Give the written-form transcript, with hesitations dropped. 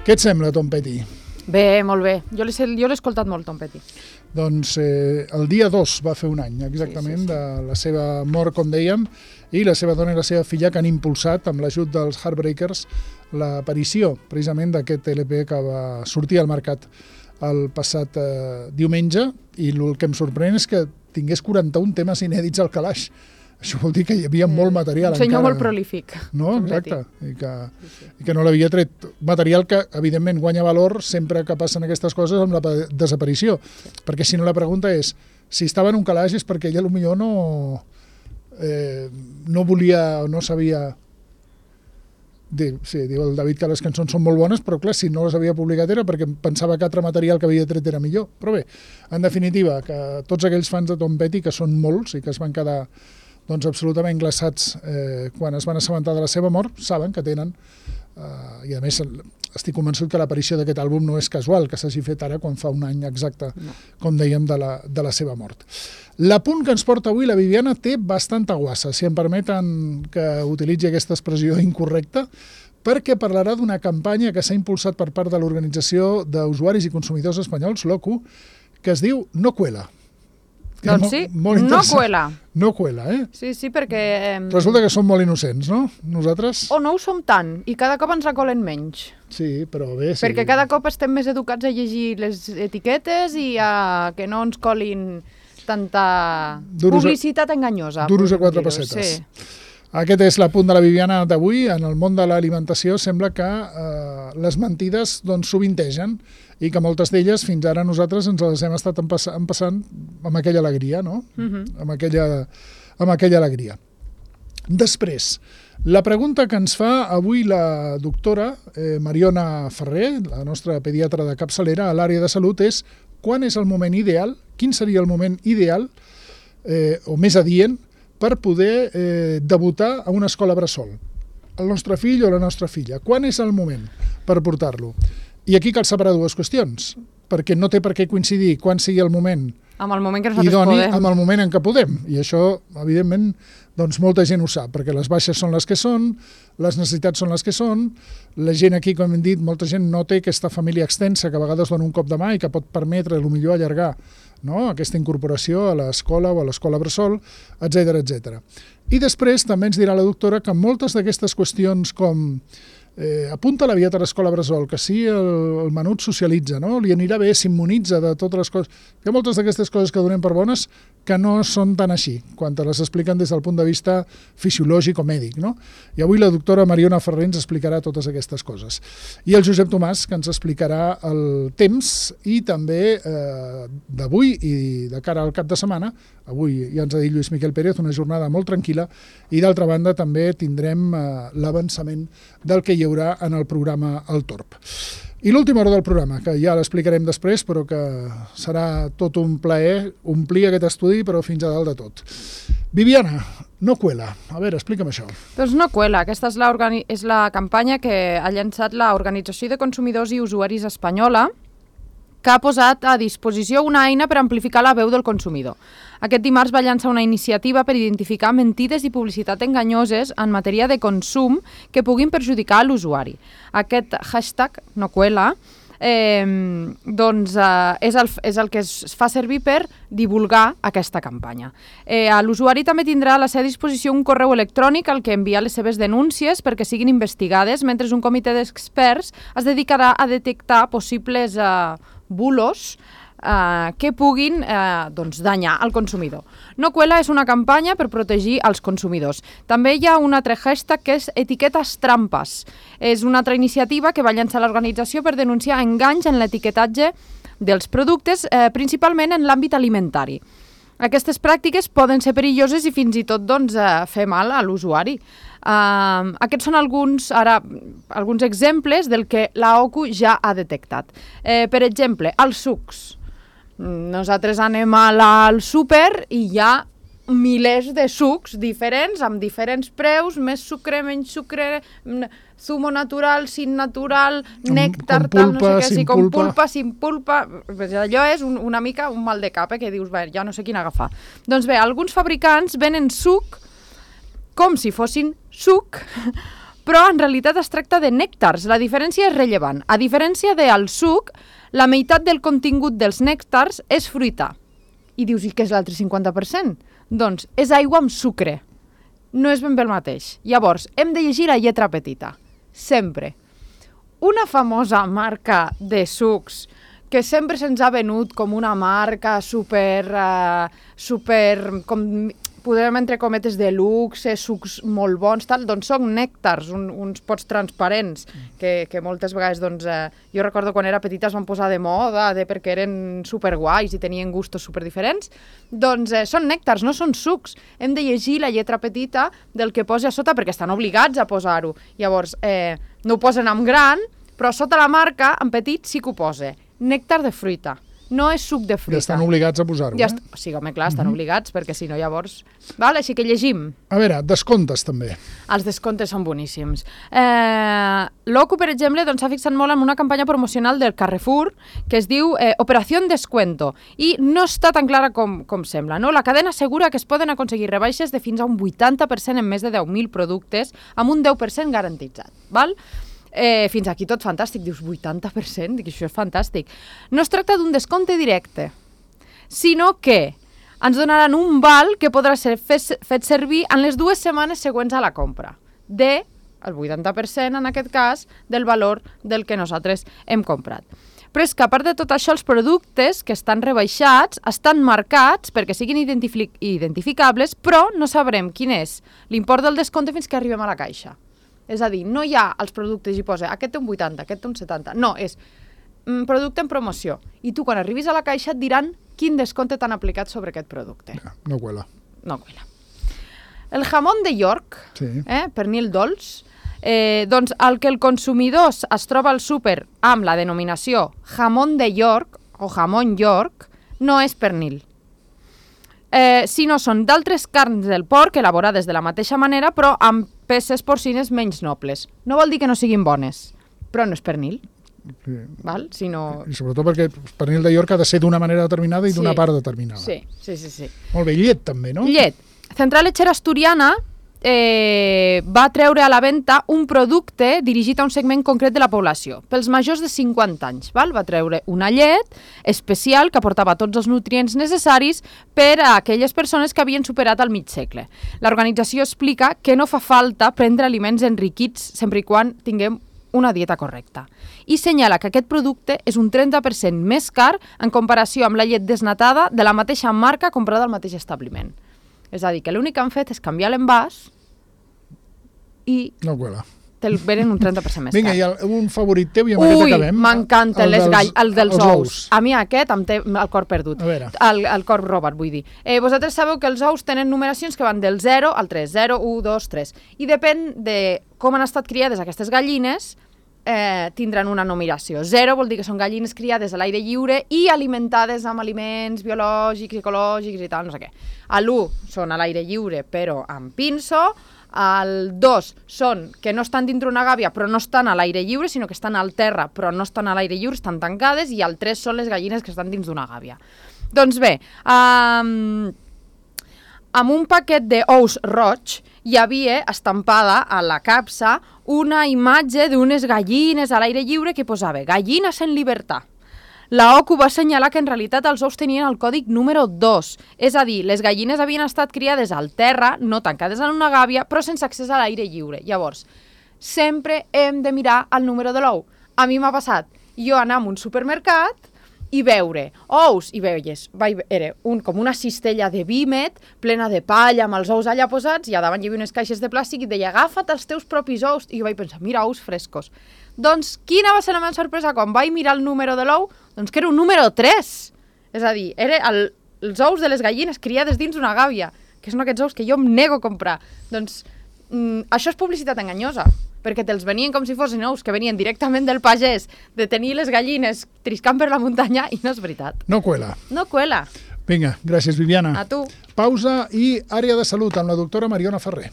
Què et sembla, Tom Petty? Bé, molt bé. Jo l'he escoltat molt, Tom Petty. Doncs el dia 2 va fer un any, exactament, de la seva mort, com dèiem, i la seva dona i la seva filla que han impulsat, amb l'ajut dels Heartbreakers, l'aparició, precisament, d'aquest LP que va sortir al mercat el passat diumenge, i el que em sorprèn és que tingués 41 temes inèdits al calaix. Això vol dir que hi havia molt material. Un senyor molt prolífic. No, exacte. I que no l'havia tret. Material que, evidentment, guanya valor sempre que passen aquestes coses amb la desaparició. Sí. Perquè si no la pregunta és, si estava en un calaix és perquè ella potser no volia o no sabia... Sí, diu el David que les cançons són molt bones, però clar, si no les havia publicat era perquè pensava que altre material que havia tret era millor. Però bé, en definitiva, que tots aquells fans de Tom Petty, que són molts i que es van quedar absolutament glaçats quan es van assabentar de la seva mort, saben que tenen, i a més estic convençut que l'aparició d'aquest àlbum no és casual, que s'hagi fet ara quan fa un any exacte, com dèiem, de la seva mort. L'apunt que ens porta avui la Viviana té bastanta guassa, si em permeten que utilitzi aquesta expressió incorrecta, perquè parlarà d'una campanya que s'ha impulsat per part de l'Organització d'Usuaris i Consumidors Espanyols, l'OCU, que es diu No Cuela. Doncs sí, no cuela. No cuela, Sí, perquè... Resulta que som molt innocents, no? Nosaltres... O no ho som tant, i cada cop ens recolen menys. Sí, però bé... Sí. Perquè cada cop estem més educats a llegir les etiquetes i a que no ens colin tanta publicitat enganyosa. Duros a 4 pessetes. Sí. Aquest és l'apunt de la Viviana d'avui. En el món de l'alimentació sembla que les mentides sovintegen i que moltes d'elles fins ara nosaltres ens les hem estat empassant amb aquella alegria, no? Amb aquella alegria. Després, la pregunta que ens fa avui la doctora Mariona Ferrer, la nostra pediatra de capçalera a l'àrea de salut, és quan és el moment ideal, quin seria el moment ideal o més adient per poder debutar a una escola bressol. El nostre fill o la nostra filla. Quan és el moment per portar-lo? I aquí cal separar dues qüestions, perquè no té per què coincidir quan sigui el moment amb el moment que nosaltres podem. Amb el moment en què podem. I això, evidentment, molta gent ho sap, perquè les baixes són les que són, les necessitats són les que són, la gent aquí, com hem dit, molta gent no té aquesta família extensa que a vegades dona un cop de mà i que pot permetre, potser allargar, no? Aquesta incorporació a l'escola o a l'escola bressol, etc etc. I després també ens dirà la doctora que moltes d'aquestes qüestions com apunta l'aviat a l'escola bressol, que sí, el menut socialitza, no? Li anirà bé, s'immunitza de totes les coses. Hi ha moltes d'aquestes coses que donem per bones que no són tan així, quan te les expliquen des del punt de vista fisiològic o mèdic, no? I avui la doctora Mariona Ferrer ens explicarà totes aquestes coses. I el Josep Tomàs, que ens explicarà el temps i també d'avui i de cara al cap de setmana. Avui ja ens ha dit Lluís Miquel Pérez, una jornada molt tranquil·la, i d'altra banda també tindrem l'avançament del que hi haurà en el programa El Torb. I l'última hora del programa, que ja l'explicarem després, però que serà tot un plaer omplir aquest estudi, però fins a dalt de tot. Viviana, No Cuela. A veure, explica'm això. Doncs No Cuela. Aquesta és la campanya que ha llançat l'Organització de Consumidors i Usuaris Espanyola, que ha posat a disposició una eina per amplificar la veu del consumidor. Aquest dimarts va llançar una iniciativa per identificar mentides i publicitat enganyoses en matèria de consum que puguin perjudicar l'usuari. Aquest hashtag, No Cuela, és el que es fa servir per divulgar aquesta campanya. L'usuari també tindrà a la seva disposició un correu electrònic al que enviar les seves denúncies perquè siguin investigades, mentre un comitè d'experts es dedicarà a detectar possibles bulos que puguin danyar el consumidor. No Cuela és una campanya per protegir els consumidors. També hi ha un altre hashtag que és Etiquetes Trampes. És una altra iniciativa que va llançar l'organització per denunciar enganys en l'etiquetatge dels productes, principalment en l'àmbit alimentari. Aquestes pràctiques poden ser perilloses i fins i tot fer mal a l'usuari. Aquests són alguns exemples del que l'OCU ja ha detectat. Per exemple, els sucs. Nosaltres anem al súper i hi ha milers de sucs diferents, amb diferents preus, més sucre, menys sucre, zumo natural, sin natural, nèctar, tal, no sé què, com pulpa, sin pulpa. Allò és una mica un mal de cap, que dius, ja no sé quin agafar. Doncs bé, alguns fabricants venen suc com si fossin suc, però en realitat es tracta de nèctars. La diferència és rellevant. A diferència del suc, la meitat del contingut dels nèctars és fruita. I dius, i què és l'altre 50%? Doncs és aigua amb sucre. No és ben bé el mateix. Llavors, hem de llegir la lletra petita. Sempre. Una famosa marca de sucs que sempre se'ns ha venut com una marca super podem entre cometes de luxe, sucs molt bons, tal, doncs són nèctars, uns pots transparents, que moltes vegades, doncs, jo recordo quan era petita es van posar de moda, perquè eren superguais i tenien gustos superdiferents, doncs són nèctars, no són sucs. Hem de llegir la lletra petita del que posa a sota, perquè estan obligats a posar-ho. Llavors, no ho posen en gran, però sota la marca, en petit, sí que ho posa. Nèctar de fruita. No és suc de fruita. Ja estan obligats a posar-ho, Sí, home, clar, estan obligats, perquè si no llavors... Val? Així que llegim. A veure, descomptes també. Els descomptes són boníssims. L'OCU, per exemple, s'ha fixat molt en una campanya promocional del Carrefour que es diu Operació Descuento i no està tan clara com sembla. No? La cadena assegura que es poden aconseguir rebaixes de fins a un 80% en més de 10.000 productes amb un 10% garantitzat. Val? Fins aquí tot fantàstic, dius 80%, dic, això és fantàstic. No es tracta d'un descompte directe, sinó que ens donaran un val que podrà ser fet servir en les 2 setmanes següents a la compra, el 80% en aquest cas del valor del que nosaltres hem comprat. Però és que a part de tot això, els productes que estan rebaixats estan marcats perquè siguin identificables, però no sabrem quin és l'import del descompte fins que arribem a la caixa. És a dir, no hi ha els productes i posa aquest té un 80, aquest té un 70. No, és producte en promoció. I tu, quan arribis a la caixa, et diran quin descompte t'han aplicat sobre aquest producte. No cuela. No cuela. El jamón de York, pernil dolç, doncs el que el consumidor es troba al súper amb la denominació jamón de York o jamón York no és pernil. Sinó són d'altres carns del porc elaborades de la mateixa manera però amb peces porcines menys nobles. No vol dir que no siguin bones, però no és pernil. Sí. Val? Sinó... I sobretot perquè el pernil de York ha de ser d'una manera determinada i d'una part determinada. Sí. Molt bé, llet també, no? Llet. Central Lechera Asturiana va treure a la venda un producte dirigit a un segment concret de la població, pels majors de 50 anys. Val? Va treure una llet especial que aportava tots els nutrients necessaris per a aquelles persones que havien superat el mig segle. L'organització explica que no fa falta prendre aliments enriquits sempre i quan tinguem una dieta correcta. I senyala que aquest producte és un 30% més car en comparació amb la llet desnatada de la mateixa marca comprada al mateix establiment. És a dir, que l'únic que han fet és canviar l'envàs i no cuela. Te'l venen un 30% més car. Vinga, i un favorit teu i amb aquest acabem. M'encanta el dels ous. A mi aquest em té el cor perdut. El cor robat, vull dir. Vosaltres sabeu que els ous tenen numeracions que van del 0 al 3. 0, 1, 2, 3. I depèn de com han estat criades aquestes gallines, tindran una numeració. 0 vol dir que són gallines criades a l'aire lliure i alimentades amb aliments biològics, ecològics i tal, no sé què. L'1 són a l'aire lliure però amb pinso, el 2 són que no estan dintre una gàbia però no estan a l'aire lliure, sinó que estan al terra però no estan a l'aire lliure, estan tancades, i el 3 són les gallines que estan dins d'una gàbia. Doncs bé, amb un paquet d'ous roig hi havia estampada a la capsa una imatge d'unes gallines a l'aire lliure que posava «Gallines en llibertat». La OCU va assenyalar que en realitat els ous tenien el còdic número 2, és a dir, les gallines havien estat criades al terra, no tancades en una gàbia, però sense accés a l'aire lliure. Llavors, sempre hem de mirar el número de l'ou. A mi m'ha passat jo anar a un supermercat i veure ous, i veies, era com una cistella de vímet plena de palla amb els ous allà posats, i a davant hi havia unes caixes de plàstic i deia agafa't els teus propis ous, i jo vaig pensar, mira, ous frescos. Doncs quina va ser la meva sorpresa quan vaig mirar el número de l'ou? Doncs que era un número 3, és a dir, eren els ous de les gallines criades dins d'una gàbia, que són aquests ous que jo em nego a comprar. Doncs això és publicitat enganyosa, perquè te'ls venien com si fossin ous que venien directament del pagès, de tenir les gallines triscant per la muntanya, i no és veritat. No cuela. No cuela. Vinga, gràcies, Viviana. A tu. Pausa i àrea de salut amb la doctora Mariona Ferrer.